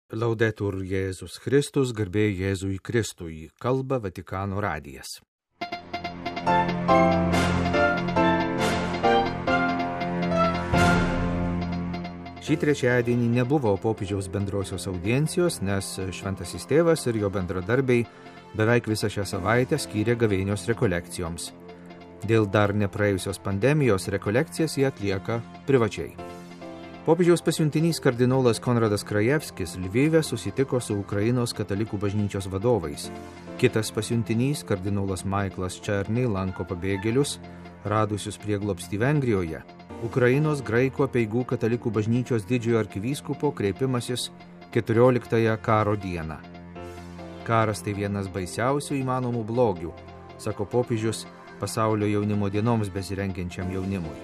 Laudetur Jėzus Kristus, garbė Jėzui Kristui, kalba Vatikano radijas. Šį trečiadienį nebuvo popiežiaus bendrosios audiencijos, nes šventasis tėvas ir jo bendradarbiai beveik visą šią savaitę skyrė gavėnios rekolekcijoms. Dėl dar nepraėjusios pandemijos rekolekcijas jie atlieka privačiai. Popiežiaus pasiuntinys kardinolas Konradas Krajevskis Lvive susitiko su Ukrainos katalikų bažnyčios vadovais. Kitas pasiuntinys, kardinolas Michaelas Černy, lanko pabėgėlius, radusius prieglobstį Vengrijoje. Ukrainos graikų apeigų katalikų bažnyčios didžiojo arkivyskupo kreipimasis 14 karo dieną. Karas tai vienas baisiausių įmanomų blogių, sako popiežius pasaulio jaunimo dienoms besirengiančiam jaunimui.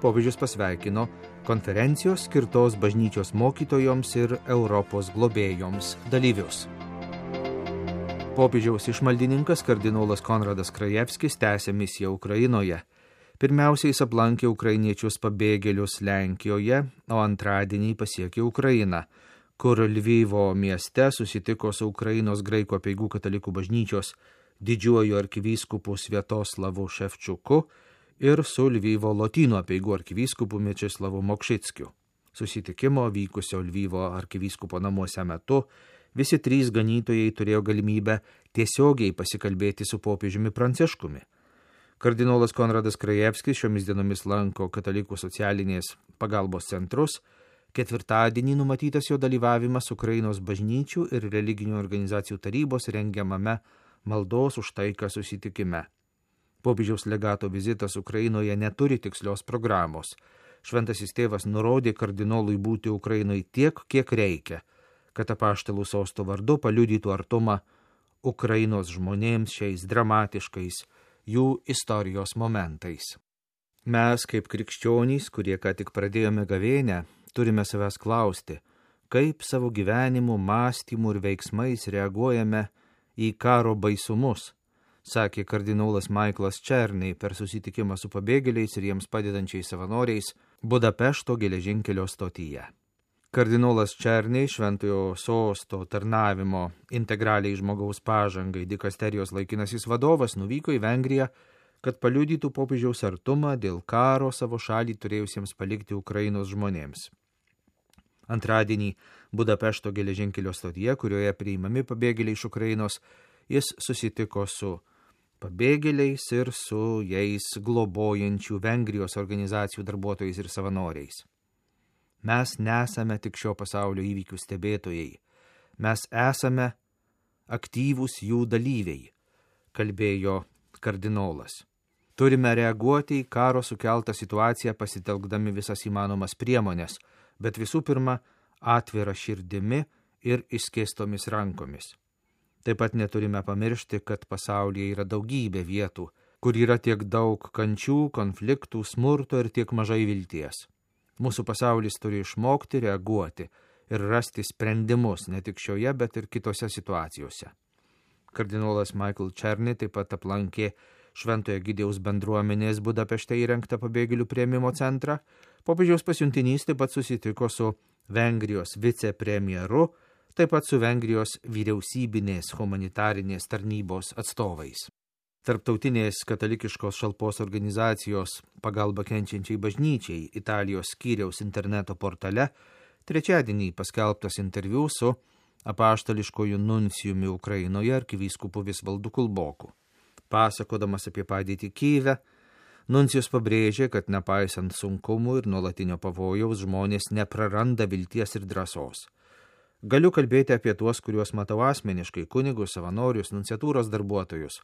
Popiežius pasveikino konferencijos skirtos bažnyčios mokytojoms ir Europos globėjoms dalyvius. Popiežiaus išmaldininkas kardinolas Konradas Krajevskis tęsė misiją Ukrainoje. Pirmiausia, jis aplankė ukrainiečius pabėgėlius Lenkijoje, o antradienį pasiekė Ukrainą, kur Lvivo mieste susitiko su Ukrainos graikų apeigų katalikų bažnyčios didžiuoju arkivyskupu Sviatoslavu Ševčiuku ir su Lvivo lotynų apeigų arkivyskupu Mečeslavu Mokšickiu. Susitikimo vykusio Lvivo arkivyskupo namuose metu visi trys ganytojai turėjo galimybę tiesiogiai pasikalbėti su popiežiumi Pranciškumi. Kardinolas Konradas Krajevskis šiomis dienomis lanko katalikų socialinės pagalbos centrus. Ketvirtadienį numatytas jo dalyvavimas Ukrainos bažnyčių ir religinių organizacijų tarybos rengiamame maldos už taiką susitikime. Popiežiaus legato vizitas Ukrainoje neturi tikslios programos. Šventasis tėvas nurodė kardinolui būti Ukrainoje tiek, kiek reikia, kad apaštalų sosto vardu paliudytų artumą Ukrainos žmonėms šiais dramatiškais jų istorijos momentais. Mes, kaip krikščionys, kurie ką tik pradėjome gavėnią, turime savęs klausti, kaip savo gyvenimu, mąstymu ir veiksmais reaguojame į karo baisumus, sakė kardinolas Michaelas Černy per susitikimą su pabėgėliais ir jiems padedančiais savanoriais Budapešto geležinkelio stotyje. Kardinolas Černy, šventojo sosto tarnavimo integraliai žmogaus pažangai dikasterijos laikinasis vadovas, nuvyko į Vengriją, kad paliudytų popiežiaus artumą dėl karo savo šalį turėjusiems palikti Ukrainos žmonėms. Antradienį Budapešto geležinkelio stotyje, kurioje priimami pabėgėliai iš Ukrainos, jis susitiko su pabėgėliais ir su jais globojančių Vengrijos organizacijų darbuotojais ir savanoriais. Mes nesame tik šio pasaulio įvykių stebėtojai, mes esame aktyvūs jų dalyviai, kalbėjo kardinolas. Turime reaguoti į karo sukeltą situaciją pasitelkdami visas įmanomas priemonės, bet visų pirma atvira širdimi ir išskėstomis rankomis. Taip pat neturime pamiršti, kad pasaulyje yra daugybė vietų, kur yra tiek daug kančių, konfliktų, smurto ir tiek mažai vilties. Mūsų pasaulis turi išmokti reaguoti ir rasti sprendimus ne tik šioje, bet ir kitose situacijose. Kardinolas Michael Černy taip pat aplankė Šventojo Egidijaus bendruomenės Budapešte įrengtą pabėgėlių priėmimo centrą. Popiežiaus pasiuntinys taip pat susitiko su Vengrijos vicepremjeru, taip pat su Vengrijos vyriausybinės humanitarinės tarnybos atstovais. Tarptautinės katalikiškos šalpos organizacijos pagalba kenčiančiai bažnyčiai Italijos skyriaus interneto portale trečiadienį paskelbtas interviu su apaštališkoju nuncijumi Ukrainoje arkivyskupu Visvaldu Kulboku. Pasakodamas apie padėtį Kyjive, nuncijus pabrėžė, kad nepaisant sunkumų ir nuolatinio pavojaus žmonės nepraranda vilties ir drąsos. Galiu kalbėti apie tuos, kuriuos matau asmeniškai, kunigus, savanorius, nunciatūros darbuotojus.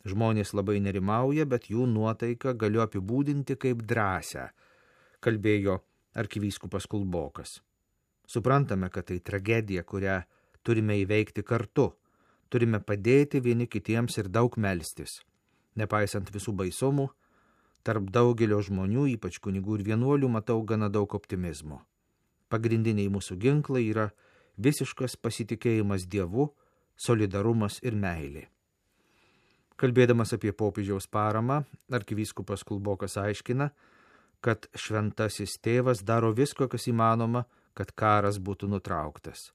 Žmonės labai nerimauja, bet jų nuotaiką galiu apibūdinti kaip drąsią, kalbėjo arkivyskupas Kulbokas. Suprantame, kad tai tragedija, kurią turime įveikti kartu. Turime padėti vieni kitiems ir daug melstis. Nepaisant visų baisumų, tarp daugelio žmonių, ypač kunigų ir vienuolių, matau gana daug optimizmo. Pagrindiniai mūsų ginklai yra visiškas pasitikėjimas Dievu, solidarumas ir meilė. Kalbėdamas apie popiežiaus paramą, arkivyskupas Kulbokas aiškina, kad šventasis tėvas daro visko, kas įmanoma, kad karas būtų nutrauktas.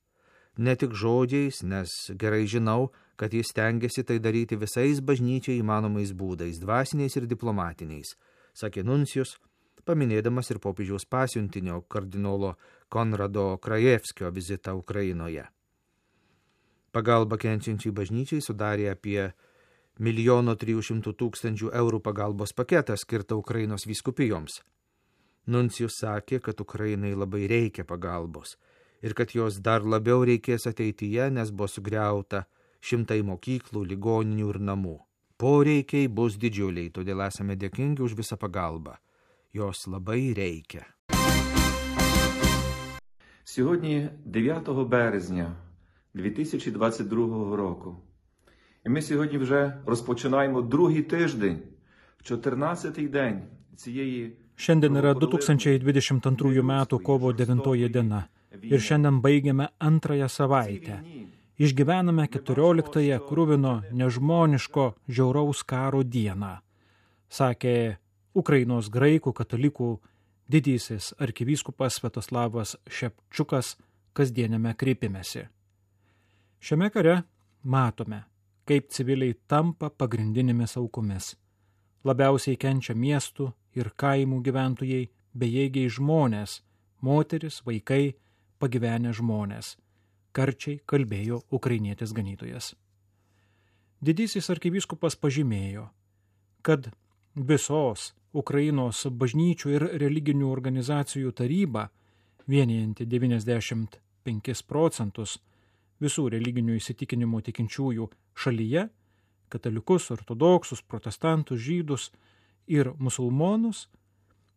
Ne tik žodžiais, nes gerai žinau, kad jis stengiasi tai daryti visais bažnyčiai įmanomais būdais, dvasiniais ir diplomatiniais, sakė nuncijus, paminėdamas ir popiežiaus pasiuntinio kardinolo Konrado Krajevskio vizitą Ukrainoje. Pagalba kenčiančiai bažnyčiai sudarė apie 1 300 000 eurų pagalbos paketą skirtą Ukrainos vyskupijoms. Nuncijus sakė, kad Ukrainai labai reikia pagalbos ir kad jos dar labiau reikės ateityje, nes buvo sugriauta 100 mokyklų, ligoninių ir namų. Poreikiai bus didžiuliai, todėl esame dėkingi už visą pagalbą. Jos labai reikia. Сьогодні 9 березня 2022 року. І ми сьогодні вже розпочинаємо другий тиждень, 14-й день цієї... Šiandien yra 2022 metų kovo 9 diena ir šiandien baigiame antrąją savaitę. Išgyvename 14-ąją kruvino nežmoniško žiauraus karo dieną, sakė Ukrainos graikų katalikų didysis arkivyskupas Sviatoslavas Šepčiukas kasdieniame kreipimesi. Šiame kare matome, kaip civiliai tampa pagrindinėmis aukomis. Labiausiai kenčia miestų ir kaimų gyventojai, bejėgiai žmonės, moteris, vaikai, pagyvenę žmonės, karčiai kalbėjo ukrainietis ganytojas. Didysis arkivyskupas pažymėjo, kad visos Ukrainos bažnyčių ir religinių organizacijų taryba, vienijanti 95% visų religinių įsitikinimų tikinčiųjų šalyje, katalikus, ortodoksus, protestantus, žydus ir musulmonus,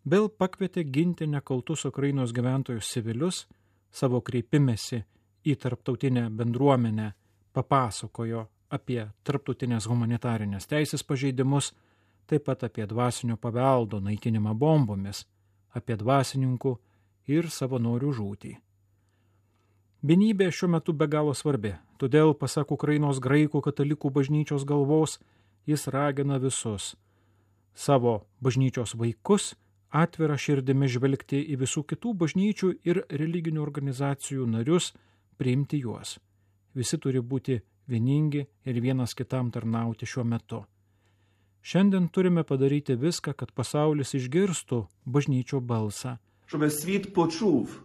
vėl pakvietė ginti nekaltus Ukrainos gyventojus civilius, savo kreipimesi į tarptautinę bendruomenę papasakojo apie tarptautinės humanitarinės teisės pažeidimus, taip pat apie dvasinio paveldo naikinimą bombomis, apie dvasininkų ir savanorių žūtį. Vienybė šiuo metu be galo svarbi, todėl, pasak Ukrainos graikų katalikų bažnyčios galvos, jis ragina visus savo bažnyčios vaikus atvira širdimi žvelgti į visų kitų bažnyčių ir religinių organizacijų narius, priimti juos. Visi turi būti vieningi ir vienas kitam tarnauti šiuo metu. Šiandien turime padaryti viską, kad pasaulis išgirstų bažnyčio balsą. Щоб світ почув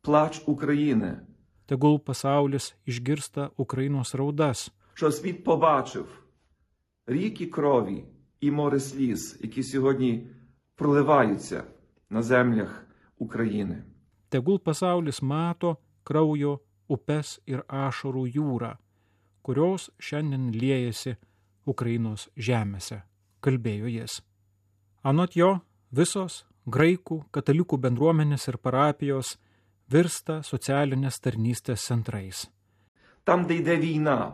плач України. Tegul pasaulis išgirsta Ukrainos raudas. Щоб світ побачив ріки крові і море сліз, які сьогодні проливаються на землях України. Tegul pasaulis mato kraujo upes ir ašarų jūrą, kurios šiandien liejasi Ukrainos žemėse, kalbėjo jis. Anot jo, visos graikų, katalikų bendruomenės ir parapijos virsta socialinės tarnystės centrais. Там, де йде війна,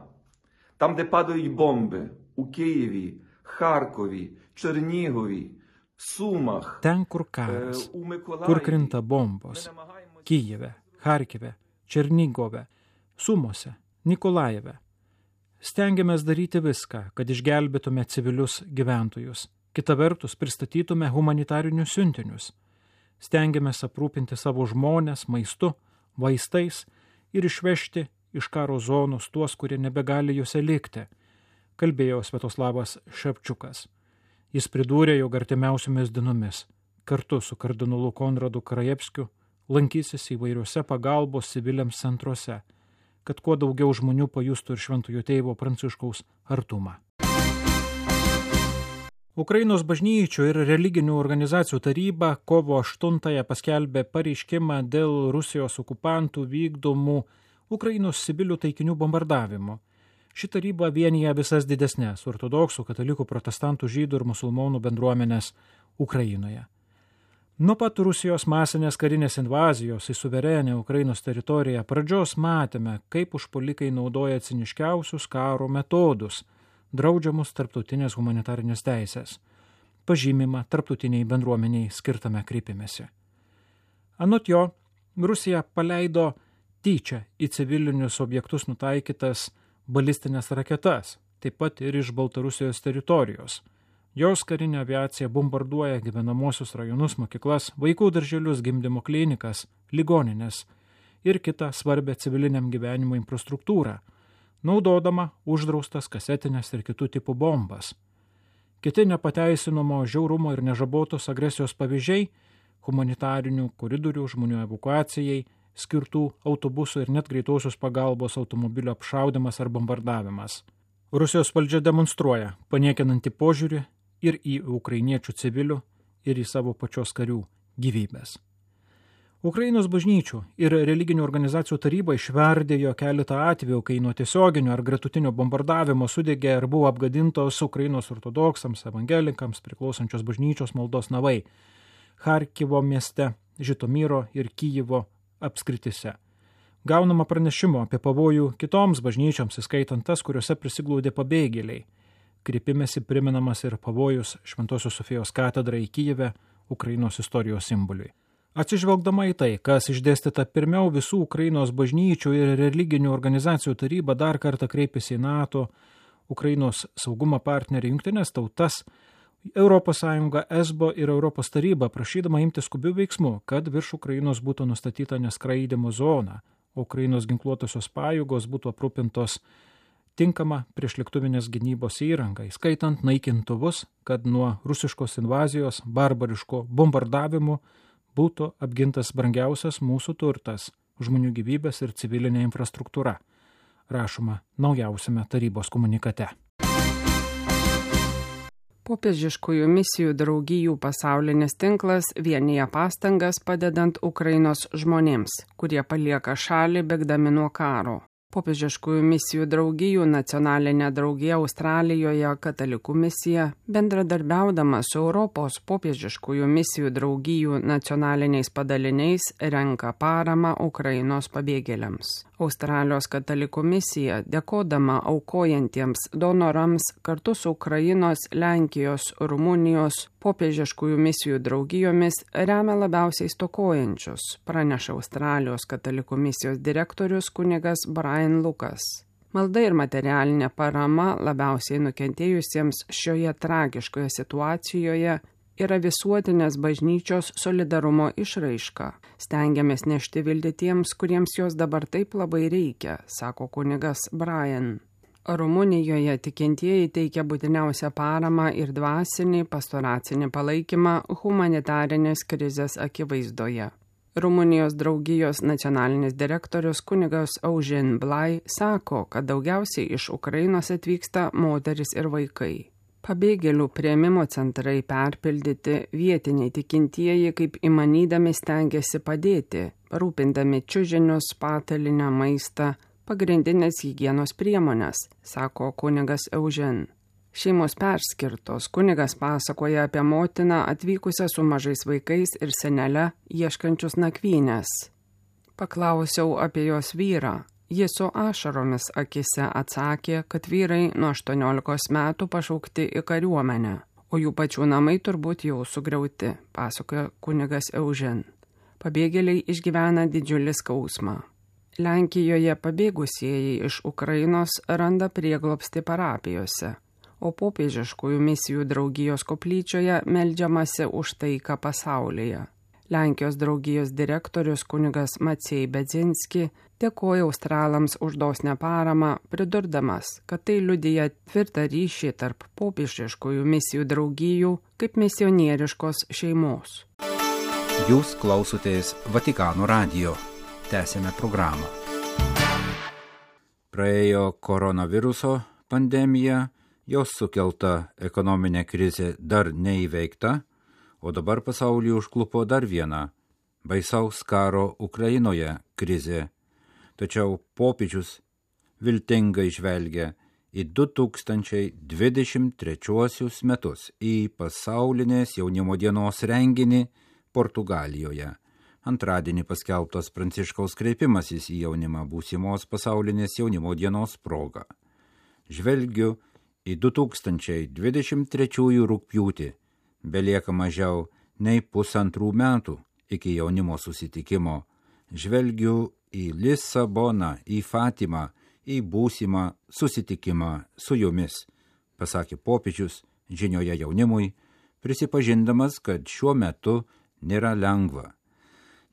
там, де падають бомби, у Києві, Харкові, Чернігові, Сумах, ten, kur karas, kur krinta bombos, Kijeve, Harkive, Černigove, Sumose, Nikolajeve. Stengiamės daryti viską, kad išgelbėtume civilius gyventojus. Kita vertus, pristatytume humanitarinius siuntinius. Stengiamės aprūpinti savo žmones maistu, vaistais ir išvežti iš karo zonos tuos, kurie nebegali juose likti, kalbėjo Sviatoslavas Šepčiukas. Jis pridūrė, jog artimiausiomis dienomis kartu su kardinolu Konradu Krajevskiu lankysis įvairiuose pagalbos civiliams centruose, kad kuo daugiau žmonių pajustų ir Šventojo Tėvo Pranciškaus artumą. Ukrainos bažnyčių ir religinių organizacijų taryba kovo 8-ąją paskelbė pareiškimą dėl Rusijos okupantų vykdomų Ukrainos civilių taikinių bombardavimo. Ši taryba vienija visas didesnės ortodoksų, katalikų, protestantų, žydų ir musulmonų bendruomenės Ukrainoje. Nuo pat Rusijos masinės karinės invazijos į suverenę Ukrainos teritoriją pradžios matėme, kaip užpuolikai naudoja ciniškiausius karo metodus, draudžiamus tarptautinės humanitarinės teisės, pažymimą tarptautiniai bendruomeniai skirtame kreipimesi. Anot jo, Rusija paleido tyčia į civilinius objektus nutaikytas balistinės raketas, taip pat ir iš Baltarusijos teritorijos. Jos karinė aviacija bombarduoja gyvenamosius rajonus, mokyklas, vaikų darželius, gimdymo klinikas, ligoninės ir kitą svarbę civiliniam gyvenimo infrastruktūrą, naudodama uždraustas kasetinės ir kitų tipų bombas. Kiti nepateisinamo žiaurumo ir nežabotos agresijos pavyzdžiai – humanitarinių koridorių žmonių evakuacijai skirtų autobusų ir net greitosios pagalbos automobilio apšaudimas ar bombardavimas. Rusijos valdžia demonstruoja paniekinantį požiūrį ir į ukrainiečių civilių, ir į savo pačios karių gyvybės. Ukrainos bažnyčių ir religinių organizacijų taryba išverdėjo keletą atvejų, kai nuo tiesioginio ar gretutinio bombardavimo sudegė ar buvo apgadintos Ukrainos ortodoksams, evangelikams priklausančios bažnyčios maldos namai Charkivo mieste, Žitomyro ir Kijevo apskritise. Gaunama pranešimo apie pavojų kitoms bažnyčioms, įskaitant tas, kuriuose prisiglaudė pabėgėliai. Kreipimesi priminamas ir pavojus Šventosios Sofijos katedrai Kijeve, Ukrainos istorijos simboliui. Atsižvelgdama į tai, kas išdėstyta pirmiau, visų Ukrainos bažnyčių ir religinių organizacijų taryba dar kartą kreipėsi į NATO, Ukrainos saugumo partnerį Jungtines tautas, ES, ESBO ir Europos taryba, prašydama imtis skubių veiksmų, kad virš Ukrainos būtų nustatyta neskraidimo zona, o Ukrainos ginkluotosios pajėgos būtų aprūpintos tinkama priešlėktuvinės gynybos įranga, įskaitant naikintuvus, kad nuo rusiškos invazijos, barbariško bombardavimų būtų apgintas brangiausias mūsų turtas – žmonių gyvybės ir civilinė infrastruktūra, rašoma naujausiame tarybos komunikate. Popiežiškųjų misijų draugijų pasaulinis tinklas vienija pastangas padedant Ukrainos žmonėms, kurie palieka šalį bėgdami nuo karo. Popiežiškųjų misijų draugijų nacionalinė draugija Australijoje katalikų misija, bendradarbiaudama su Europos popiežiškųjų misijų draugijų nacionaliniais padaliniais, renka paramą Ukrainos pabėgėliams. Australijos katalikų misija, dėkodama aukojantiems donorams kartu su Ukrainos, Lenkijos, Rumunijos popiežiškųjų misijų draugijomis, remia labiausiai stokojančius, praneša Australijos katalikų misijos direktorius kunigas Brian Lucas. Malda ir materialinė parama labiausiai nukentėjusiems šioje tragiškoje situacijoje yra visuotinės bažnyčios solidarumo išraiška. Stengiamės nešti viltį tiems, kuriems jos dabar taip labai reikia, sako kunigas Brian. Rumunijoje tikintieji teikia būtiniausią paramą ir dvasinį, pastoracinį palaikymą humanitarinės krizės akivaizdoje. Rumunijos draugijos nacionalinis direktorius kunigas Eugen Blai sako, kad daugiausiai iš Ukrainos atvyksta moteris ir vaikai. Pabėgėlių priėmimo centrai perpildyti, vietiniai tikintieji kaip įmanydami stengiasi padėti, rūpindami čiužinius, patalinę, maistą, pagrindinės higienos priemonės, sako kunigas Eugen. Šeimos perskirtos, kunigas pasakoja apie motiną atvykusią su mažais vaikais ir senele ieškančius nakvynės. Paklausiau apie jos vyrą. Jis su ašaromis akise atsakė, kad vyrai nuo 18 metų pašaukti į kariuomenę, o jų pačių namai turbūt jau sugriauti, pasakoja kunigas Eugen. Pabėgėliai išgyvena didžiulį skausmą. Lenkijoje pabėgusieji iš Ukrainos randa prieglobstį parapijose, o popiežiškųjų misijų draugijos koplyčioje meldžiamasi už taiką pasaulyje. Lenkijos draugijos direktorius kunigas Maciej Bedzinski dėkoja australams už dosnią paramą, pridurdamas, kad tai liudija tvirtą ryšį tarp popiežiškųjų misijų draugijų kaip misionieriškos šeimos. Jūs klausotės Vatikano radijo. Tęsėme programą. Praėjo koronaviruso pandemija, jos sukelta ekonominė krizė dar neįveikta, o dabar pasaulį užklupo dar viena baisaus karo Ukrainoje krizė. Tačiau popiežius viltingai žvelgia į 2023 metus, į pasaulinės jaunimo dienos renginį Portugalijoje. Antradienį paskelbtas Pranciškaus kreipimasis į jaunimą būsimos pasaulinės jaunimo dienos proga. Žvelgiu į 2023 rugpjūtį. Belieka mažiau nei 1,5 metų iki jaunimo susitikimo. Žvelgiu į Lisaboną, į Fatimą, į būsimą susitikimą su jumis, pasakė popiežius žinioje jaunimui, prisipažindamas, kad šiuo metu nėra lengva.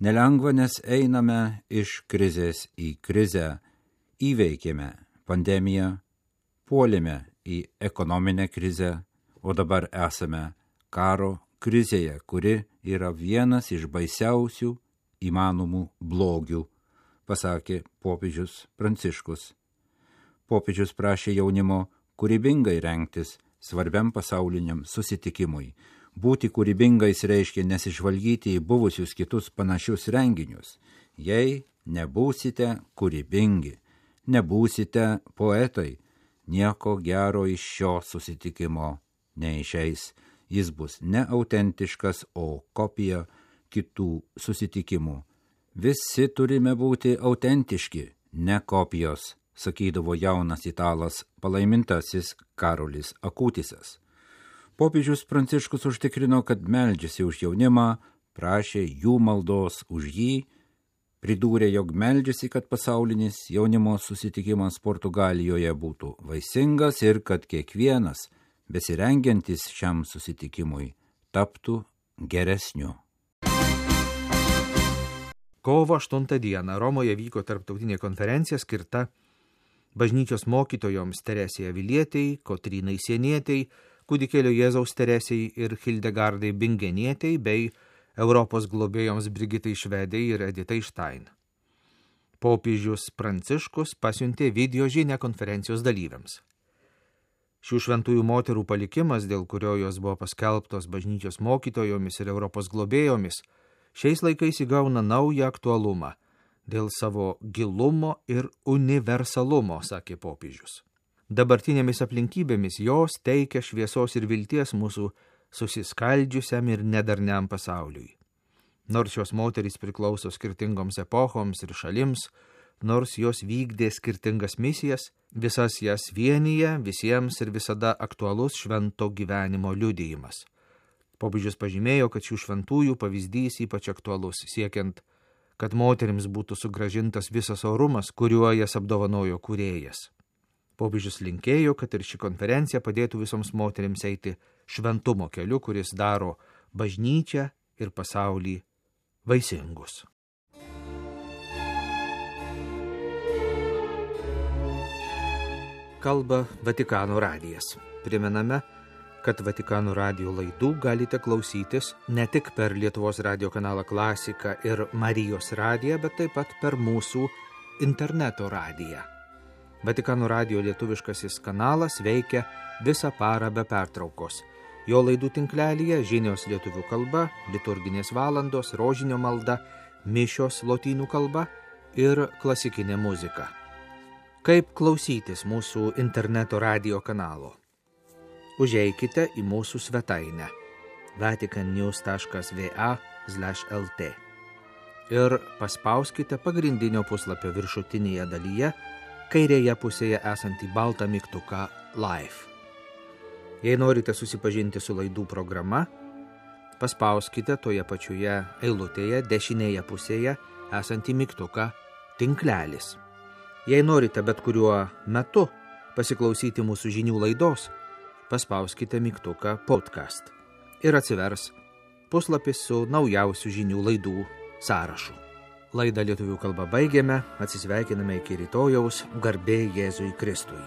Nelengva, nes einame iš krizės į krizę, įveikėme pandemiją, puolėme į ekonominę krizę, o dabar esame karo krizėje, kuri yra vienas iš baisiausių įmanomų blogių, pasakė popiežius Pranciškus. Popiežius prašė jaunimo kūrybingai rengtis svarbiam pasauliniam susitikimui. Būti kūrybingais reiškia nesižvalgyti į buvusius kitus panašius renginius. Jei nebūsite kūrybingi, nebūsite poetai, nieko gero iš šio susitikimo neišeis. Jis bus ne autentiškas, o kopija kitų susitikimų. Visi turime būti autentiški, ne kopijos, sakydavo jaunas italas palaimintasis Karolis Akutisas. Popiežius Pranciškus užtikrino, kad meldžiasi už jaunimą, prašė jų maldos už jį, pridūrė, jog meldžiasi, kad pasaulinis jaunimo susitikimas Portugalijoje būtų vaisingas ir kad kiekvienas, besirengiantis šiam susitikimui, taptų geresniu. Kovo 8 dieną Romoje vyko tarptautinė konferencija skirta bažnyčios mokytojoms Teresei Avilietei, Kotrynai Sienietei, Kūdikėlio Jėzaus Teresei ir Hildegardai Bingenietei bei Europos globėjoms Brigitai Švedei ir Editai Štain. Popiežius Pranciškus pasiuntė video žinią konferencijos dalyviams. Šių šventųjų moterų palikimas, dėl kurio jos buvo paskelbtos bažnyčios mokytojomis ir Europos globėjomis, šiais laikais įgauna naują aktualumą dėl savo gilumo ir universalumo, sakė popiežius. Dabartinėmis aplinkybėmis jos teikia šviesos ir vilties mūsų susiskaldžiusiam ir nedarniam pasauliui. Nors šios moterys priklauso skirtingoms epochoms ir šalims, nors jos vykdė skirtingas misijas, visas jas vienyje visiems ir visada aktualus švento gyvenimo liudijimas. Popiežius pažymėjo, kad šių šventųjų pavyzdys ypač aktualus, siekiant, kad moterims būtų sugrąžintas visas orumas, kuriuo jas apdovanojo kūrėjas. Popiežius linkėjo, kad ir ši konferencija padėtų visoms moterims eiti šventumo keliu, kuris daro bažnyčią ir pasaulį vaisingus. Kalba Vatikano radijas. Primename, kad Vatikano radijo laidų galite klausytis ne tik per Lietuvos radijo kanalą Klasika ir Marijos radiją, bet taip pat per mūsų interneto radiją. Vatikano radijo lietuviškasis kanalas veikia visą parą be pertraukos. Jo laidų tinklelyje žinios lietuvių kalba, liturginės valandos, rožinio malda, mišios lotynų kalba ir klasikinė muzika. Kaip klausytis mūsų interneto radijo kanalo? Užeikite į mūsų svetainę vaticannews.va/lt ir paspauskite pagrindinio puslapio viršutinėje dalyje kairėje pusėje esantį baltą mygtuką Live. Jei norite susipažinti su laidų programa, paspauskite toje pačioje eilutėje dešinėje pusėje esantį mygtuką Tinklelis. Jei norite bet kuriuo metu pasiklausyti mūsų žinių laidos, paspauskite mygtuką Podcast ir atsivers puslapis su naujausių žinių laidų sąrašu. Laidą lietuvių kalba baigėme, atsisveikiname iki rytojaus, garbė Jėzui Kristui.